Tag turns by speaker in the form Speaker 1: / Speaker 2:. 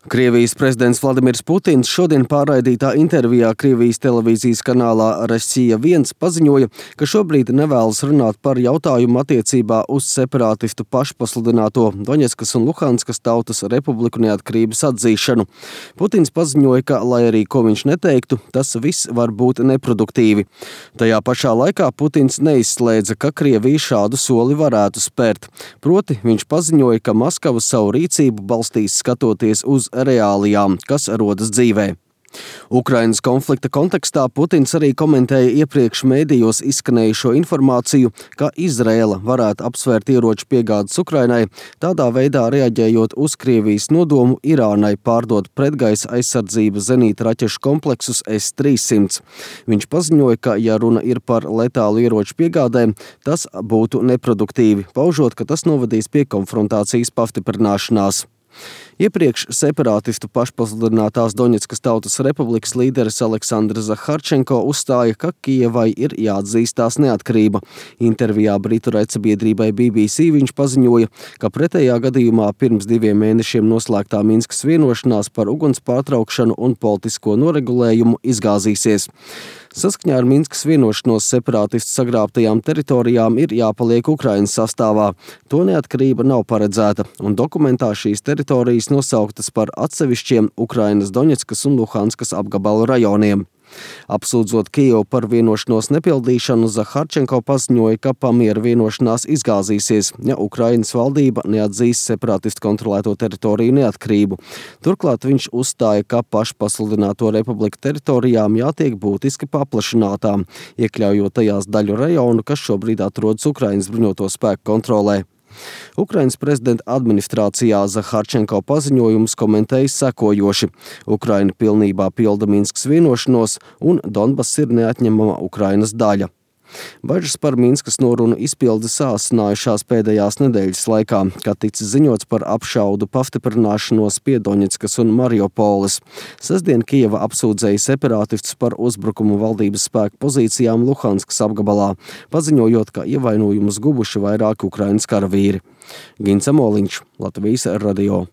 Speaker 1: Krievijas prezidents Vladimirs Putins šodien pārraidītā intervijā Krievijas televīzijas kanālā Rossija 1 paziņoja, ka šobrīd nevēlas runāt par jautājumu attiecībā uz separātistu pašpasludināto Doņetskas un Luhanskas tautas republiku neatkarības atzīšanu. Putins paziņoja, ka, lai arī ko viņš neteiktu, tas viss var būt neproduktīvi. Tajā pašā laikā Putins neizslēdza, ka Krievija šādu soli varētu spērt. Proti, viņš paziņoja, ka Maskava savu rīcību balstīs skatoties uz reālijām, kas rodas dzīvē. Ukrainas konflikta kontekstā Putins arī komentēja iepriekš mēdījos izskanējušo informāciju, ka Izraela varētu apsvērt ieroču piegādes Ukrainai, tādā veidā reaģējot uz Krievijas nodomu Irānai pārdot pretgaisa aizsardzības zenīta raķešu kompleksus S-300. Viņš paziņoja, ka, ja runa ir par letālu ieroču piegādēm, tas būtu neproduktīvi, paužot, ka tas novadīs pie konfrontācijas pastiprināšanās. Iepriekš separātistu pašpasludinātās Doņetskas tautas republikas līderis Aleksandrs Zaharčenko uzstāja, ka Kijevai ir jāatzīst tās neatkarība. Intervijā britu raidsabiedrībai BBC viņš paziņoja, ka pretējā gadījumā pirms 2 mēnešiem noslēgtā Minskas vienošanās par uguns pārtraukšanu un politisko noregulējumu izgāzīsies. Saskaņā ar Minskas vienošanos separātistu sagrābtajām teritorijām ir jāpaliek Ukrainas sastāvā. To neatkarība nav paredzēta, un dokumentā šīs teritorijas nosauktas par atsevišķiem Ukrainas Doņetskas un Luhanskas apgabalu rajoniem. Apsūdzot Kijevu par vienošanos nepildīšanu, Zaharčenko paziņoja, ka pamiera vienošanās izgāzīsies, ja Ukrainas valdība neatzīs separātistu kontrolēto teritoriju neatkarību. Turklāt viņš uzstāja, ka pašpasludināto republiku teritorijām jātiek būtiski paplašinātām, iekļaujot tajās daļu rajonu, kas šobrīd atrodas Ukrainas bruņoto spēku kontrolē. Ukrainas prezidenta administrācijā Zaharčenko paziņojumus komentēja sekojoši. Ukraina pilnībā pilda Minskas vienošanos un Donbass ir neatņemama Ukrainas daļa. Bažas par Minskas norunu izpildi sāsinājušās pēdējās nedēļas laikā, kad ticis ziņots par apšaudu pastiprināšanos pie Doņetskas un Mariupoles. Sestdien Kijeva apsūdzēja separātistus par uzbrukumu valdības spēku pozīcijām Luhanskas apgabalā, paziņojot, ka ievainojumus guvuši vairāki Ukrainas karavīri. Gins Amoliņš, Latvijas radio.